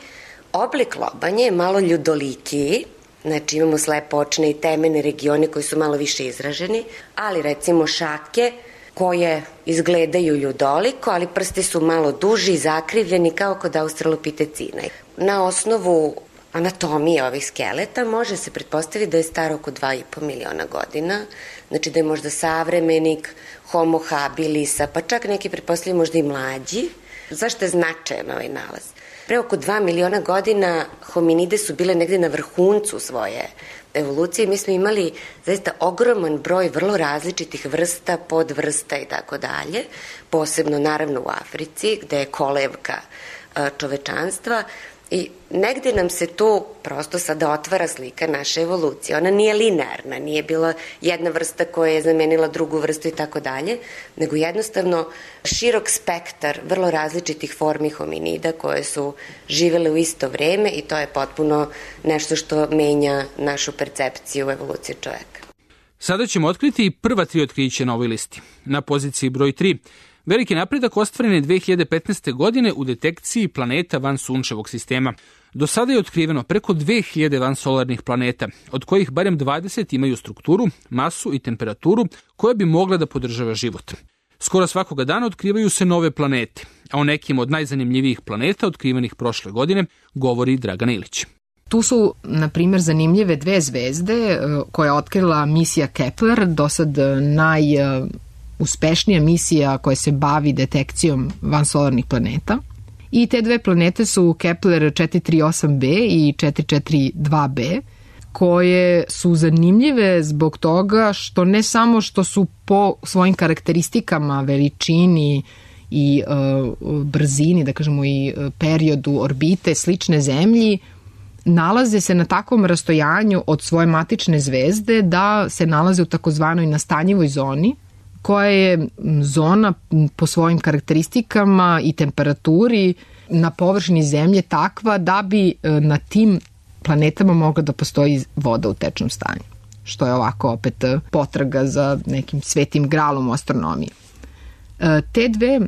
oblik lobanje je malo ljudolikiji, znači imamo slepo očne i temene regione koji su malo više izraženi, ali recimo šake koje izgledaju ljudoliko, ali prsti su malo duži i zakrivljeni kao kod australopitecina. Na osnovu anatomije ovih skeleta, može se pretpostaviti da je star oko dva i po miliona godina, znači da je možda savremenik Homo habilisa, pa čak neki pretpostavljaju možda i mlađi. Zašto je značajan ovaj nalaz? Pre oko dva miliona godina hominide su bile negde na vrhuncu svoje evolucije. Mi smo imali zaista ogroman broj vrlo različitih vrsta, podvrsta i tako dalje, posebno naravno u Africi, gde je kolevka čovečanstva. I negde nam se tu prosto sada otvara slika naše evolucije. Ona nije linearna, nije bila jedna vrsta koja je zamenila drugu vrstu i tako dalje, nego jednostavno širok spektar vrlo različitih formi hominida koje su živele u isto vreme i to je potpuno nešto što menja našu percepciju evolucije čoveka. Sada ćemo otkriti prva tri otkrića na ovoj listi. Na poziciji broj tri. Veliki napredak ostvaren je dve hiljade petnaeste. godine u detekciji planeta van sunčevog sistema. Do sada je otkriveno preko dve hiljade vansolarnih planeta, od kojih barem dvadeset imaju strukturu, masu i temperaturu koja bi mogla da podržava život. Skoro svakoga dana otkrivaju se nove planete, a o nekim od najzanimljivijih planeta otkrivenih prošle godine govori Dragan Ilić. Tu su, na primjer, zanimljive dve zvezde koje je otkrila misija Kepler, do sad naj... uspešnija misija koja se bavi detekcijom vansolarnih planeta. I te dve planete su Kepler četiri tri osam be i četiri četiri dva be, koje su zanimljive zbog toga što ne samo što su po svojim karakteristikama, veličini i uh, brzini, da kažemo i periodu orbite slične Zemlji, nalaze se na takvom rastojanju od svoje matične zvezde da se nalaze u takozvanoj nastanjivoj zoni, koja je zona po svojim karakteristikama i temperaturi na površini Zemlje takva da bi na tim planetama mogla da postoji voda u tečnom stanju, što je ovako opet potraga za nekim svetim gralom u astronomiji. Te dve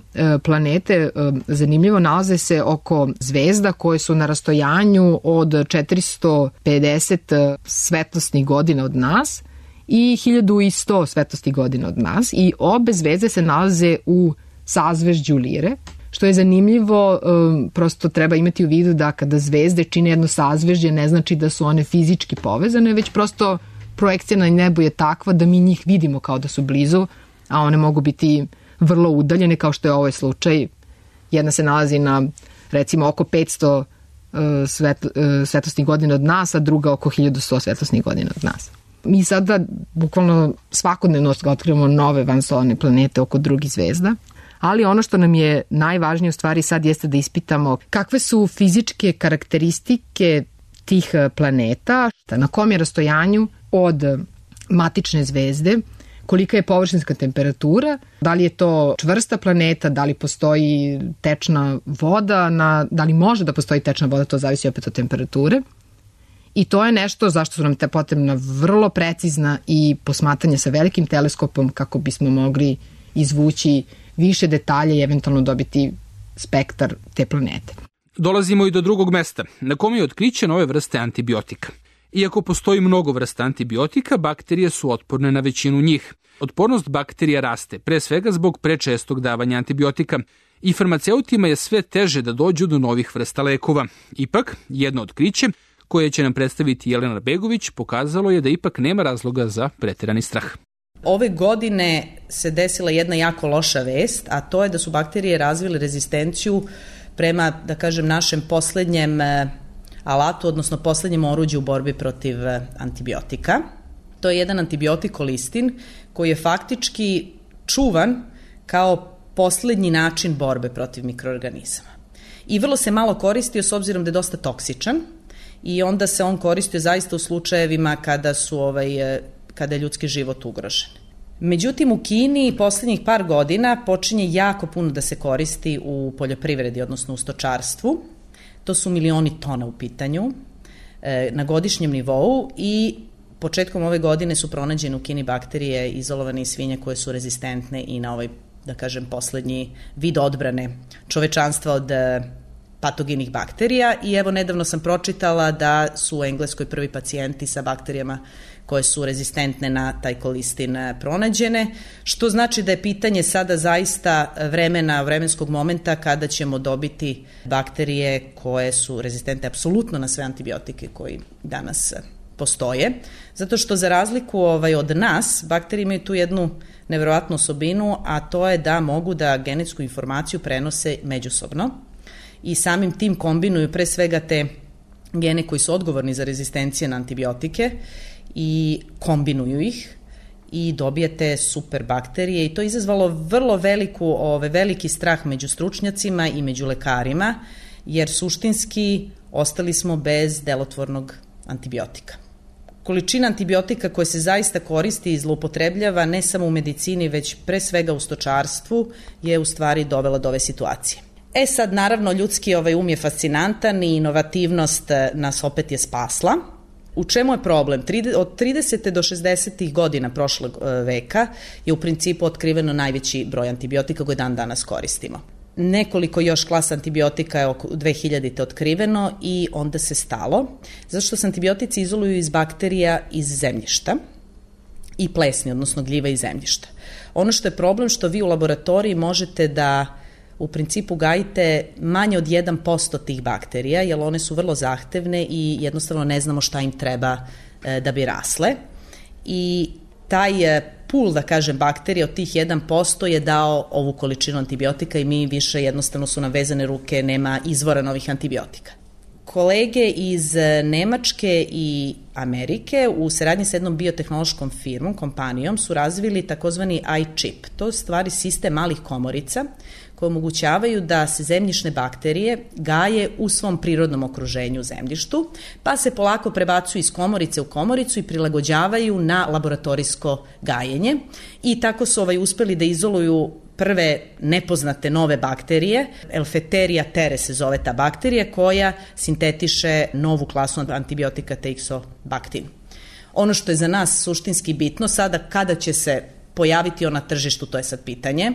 planete zanimljivo nalaze se oko zvezda koje su na rastojanju od četiristo pedeset svetlosnih godina od nas i hiljadu sto svetlosnih godina od nas i obe zvezde se nalaze u sazvežđu Lire, što je zanimljivo, prosto treba imati u vidu da kada zvezde čine jedno sazvežđe ne znači da su one fizički povezane, već prosto projekcija na nebu je takva da mi njih vidimo kao da su blizu, a one mogu biti vrlo udaljene, kao što je ovaj slučaj. Jedna se nalazi na recimo oko petsto svetl, svetlosnih godina od nas, a druga oko hiljadu sto svetlosnih godina od nas. Mi sada bukvalno svakodnevno otkrivamo nove vansolarne planete oko drugih zvezda, ali ono što nam je najvažnije u stvari sad jeste da ispitamo kakve su fizičke karakteristike tih planeta, na kom je rastojanju od matične zvezde, kolika je površinska temperatura, da li je to čvrsta planeta, da li postoji tečna voda, na, da li može da postoji tečna voda, to zavisi opet od temperature. I to je nešto zašto su nam te potrebna vrlo precizna i posmatranje sa velikim teleskopom kako bismo mogli izvući više detalja i eventualno dobiti spektar te planete. Dolazimo i do drugog mesta, na kome je otkriće nove vrste antibiotika. Iako postoji mnogo vrsta antibiotika, bakterije su otporne na većinu njih. Otpornost bakterija raste, pre svega zbog prečestog davanja antibiotika. I farmaceutima je sve teže da dođu do novih vrsta lekova. Ipak, jedno otkriće koje će nam predstaviti Jelena Begović pokazalo je da ipak nema razloga za preterani strah. Ove godine se desila jedna jako loša vest, a to je da su bakterije razvile rezistenciju prema, da kažem, našem poslednjem alatu, odnosno poslednjem oruđu u borbi protiv antibiotika. To je jedan antibiotik kolistin koji je faktički čuvan kao poslednji način borbe protiv mikroorganizama. I vrlo se malo koristio s obzirom da je dosta toksičan i onda se on koristio zaista u slučajevima kada su ovaj, kada je ljudski život ugrožen. Međutim, u Kini poslednjih par godina počinje jako puno da se koristi u poljoprivredi, odnosno u stočarstvu. To su milioni tona u pitanju e, na godišnjem nivou i početkom ove godine su pronađene u Kini bakterije izolovane iz svinja koje su rezistentne i na ovaj, da kažem, poslednji vid odbrane čovečanstva od e, patogenih bakterija i evo nedavno sam pročitala da su u Engleskoj prvi pacijenti sa bakterijama koje su rezistentne na taj kolistin pronađene, što znači da je pitanje sada zaista vremena, vremenskog momenta kada ćemo dobiti bakterije koje su rezistentne apsolutno na sve antibiotike koji danas postoje, zato što za razliku ovaj, od nas, bakterije imaju tu jednu neverovatnu osobinu, a to je da mogu da genetsku informaciju prenose međusobno i samim tim kombinuju pre svega te gene koji su odgovorni za rezistencije na antibiotike i kombinuju ih i dobijete super bakterije i to je izazvalo vrlo veliku, ove, veliki strah među stručnjacima i među lekarima, jer suštinski ostali smo bez delotvornog antibiotika. Količina antibiotika koja se zaista koristi i zloupotrebljava ne samo u medicini, već pre svega u stočarstvu je u stvari dovela do ove situacije. E sad, naravno, ljudski ovaj um je fascinantan i inovativnost nas opet je spasla. U čemu je problem? Od tridesetih do šezdesetih godina prošlog veka je u principu otkriveno najveći broj antibiotika koje dan danas koristimo. Nekoliko još klasa antibiotika je oko dve hiljadite otkriveno i onda se stalo, zato što se antibiotici izoluju iz bakterija iz zemljišta i plesni, odnosno gljiva iz zemljišta. Ono što je problem što vi u laboratoriji možete da u principu gajite manje od jedan posto tih bakterija, jer one su vrlo zahtevne i jednostavno ne znamo šta im treba e, da bi rasle. I taj pul, da kažem, bakterija od tih jedan posto je dao ovu količinu antibiotika i mi više jednostavno su nam vezane ruke, nema izvora novih antibiotika. Kolege iz Nemačke i Amerike u saradnji sa jednom biotehnološkom firmom, kompanijom, su razvili takozvani iChip. To je stvari sistem malih komorica koje omogućavaju da se zemljišne bakterije gaje u svom prirodnom okruženju u zemljištu, pa se polako prebacuju iz komorice u komoricu i prilagođavaju na laboratorijsko gajenje i tako su ovaj uspeli da izoluju prve nepoznate nove bakterije, Elfeteria tere se zove ta bakterija, koja sintetiše novu klasu antibiotika Teixobactin. Ono što je za nas suštinski bitno sada, kada će se pojaviti on na tržištu, to je sad pitanje.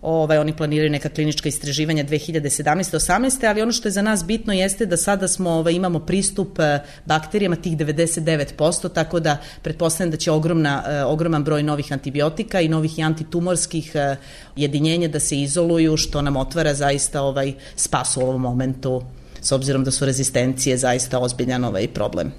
Ovaj, oni planiraju neka klinička istraživanja dve hiljade sedamnaeste osamnaeste ali ono što je za nas bitno jeste da sada smo, ovaj, imamo pristup bakterijama tih devedeset devet posto, tako da pretpostavljam da će ogromna, ogroman broj novih antibiotika i novih i antitumorskih jedinjenja da se izoluju, što nam otvara zaista ovaj spas u ovom momentu, s obzirom da su rezistencije zaista ozbiljan ovaj problem.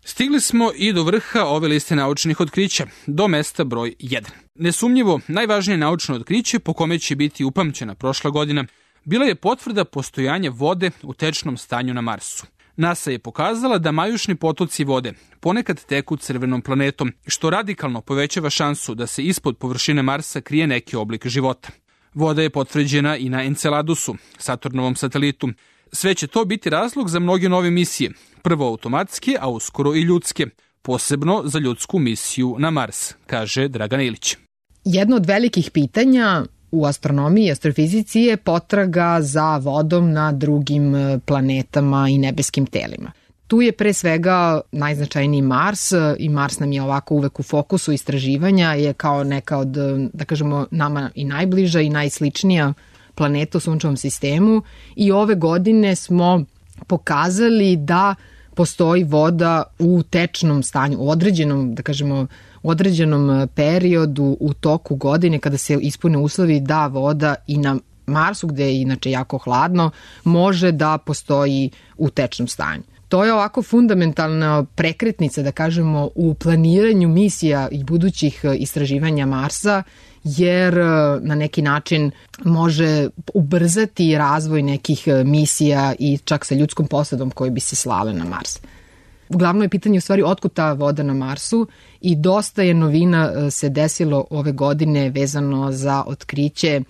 Stigli smo i do vrha ove liste naučnih otkrića, do mesta broj jedan. Nesumnjivo, najvažnije naučno otkriće po kome će biti upamćena prošla godina bila je potvrda postojanja vode u tečnom stanju na Marsu. NASA je pokazala da majušni potoci vode ponekad teku crvenom planetom, što radikalno povećava šansu da se ispod površine Marsa krije neki oblik života. Voda je potvrđena i na Enceladusu, Saturnovom satelitu. Sve će to biti razlog za mnoge nove misije, prvo automatske, a uskoro i ljudske, posebno za ljudsku misiju na Mars, kaže Dragan Ilić. Jedno od velikih pitanja u astronomiji i astrofizici je potraga za vodom na drugim planetama i nebeskim telima. Tu je pre svega najznačajniji Mars i Mars nam je ovako uvek u fokusu istraživanja, je kao neka od, da kažemo, nama i najbliža i najsličnija planeta u sunčevom sistemu i ove godine smo pokazali da postoji voda u tečnom stanju, u određenom, da kažemo, u određenom periodu u toku godine kada se ispune uslovi da voda i na Marsu, gde je inače jako hladno, može da postoji u tečnom stanju. To je ovako fundamentalna prekretnica, da kažemo, u planiranju misija i budućih istraživanja Marsa, jer na neki način može ubrzati razvoj nekih misija i čak sa ljudskom posadom koji bi se slale na Mars. Uglavnom je pitanje u stvari otkud ta voda na Marsu i dosta je novina se desilo ove godine vezano za otkriće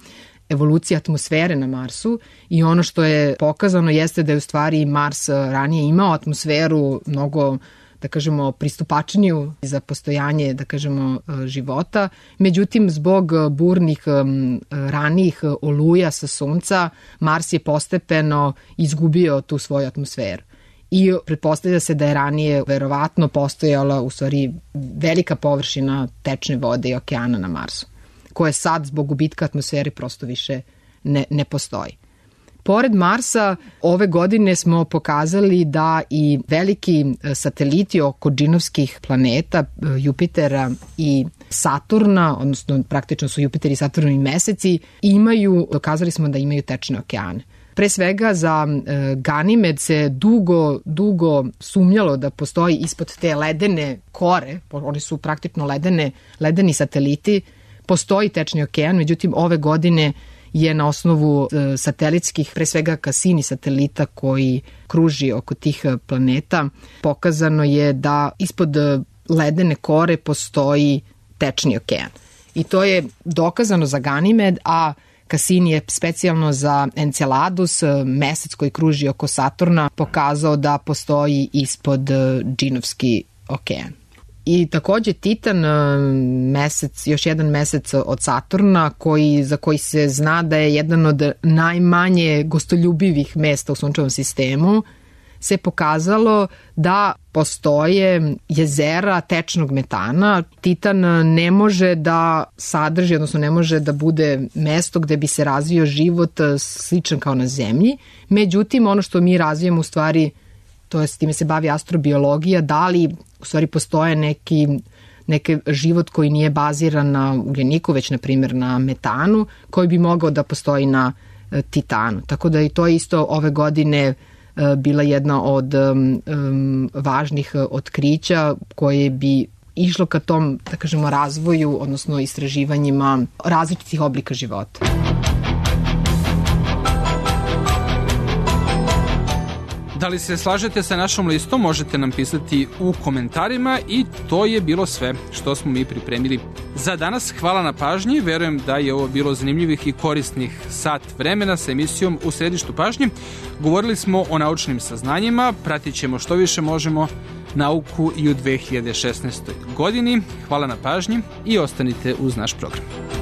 evolucije atmosfere na Marsu i ono što je pokazano jeste da je u stvari Mars ranije imao atmosferu mnogo, da kažemo, pristupačniju za postojanje, da kažemo, života. Međutim, zbog burnih ranijih oluja sa Sunca, Mars je postepeno izgubio tu svoju atmosferu. I pretpostavlja se da je ranije verovatno postojala u stvari velika površina tečne vode i okeana na Marsu, koje sad zbog gubitka atmosfere prosto više ne, ne postoji. Pored Marsa, ove godine smo pokazali da i veliki sateliti oko džinovskih planeta, Jupitera i Saturna, odnosno praktično su Jupiter i Saturn i meseci, imaju, dokazali smo da imaju tečne okeane. Pre svega za e, Ganimed se dugo, dugo sumnjalo da postoji ispod te ledene kore, oni su praktično ledene, ledeni sateliti, postoji tečni okean, međutim ove godine je na osnovu e, satelitskih, pre svega Cassini satelita koji kruži oko tih planeta, pokazano je da ispod ledene kore postoji tečni okean. I to je dokazano za Ganimed, a Cassini je specijalno za Enceladus, mesec koji kruži oko Saturna, pokazao da postoji ispod džinovski okean. I takođe Titan, mesec, još jedan mesec od Saturna, koji, za koji se zna da je jedan od najmanje gostoljubivih mesta u sunčevom sistemu, se pokazalo da postoje jezera tečnog metana. Titan ne može da sadrži, odnosno ne može da bude mesto gde bi se razvio život sličan kao na Zemlji. Međutim, ono što mi razvijemo u stvari, to je s time se bavi astrobiologija, da li u stvari postoje neki, neki život koji nije baziran na ugljeniku, već na primjer na metanu, koji bi mogao da postoji na Titanu. Tako da i to isto ove godine bila jedna od um, važnih otkrića koje bi išlo ka tom, da kažemo, razvoju, odnosno istraživanjima različitih oblika života. Da li se slažete sa našom listom, možete nam pisati u komentarima i to je bilo sve što smo mi pripremili za danas. Hvala na pažnji, verujem da je ovo bilo zanimljivih i korisnih sat vremena sa emisijom U središtu pažnje. Govorili smo o naučnim saznanjima, pratit ćemo što više možemo nauku i u dve hiljade šesnaestoj godini. Hvala na pažnji i ostanite uz naš program.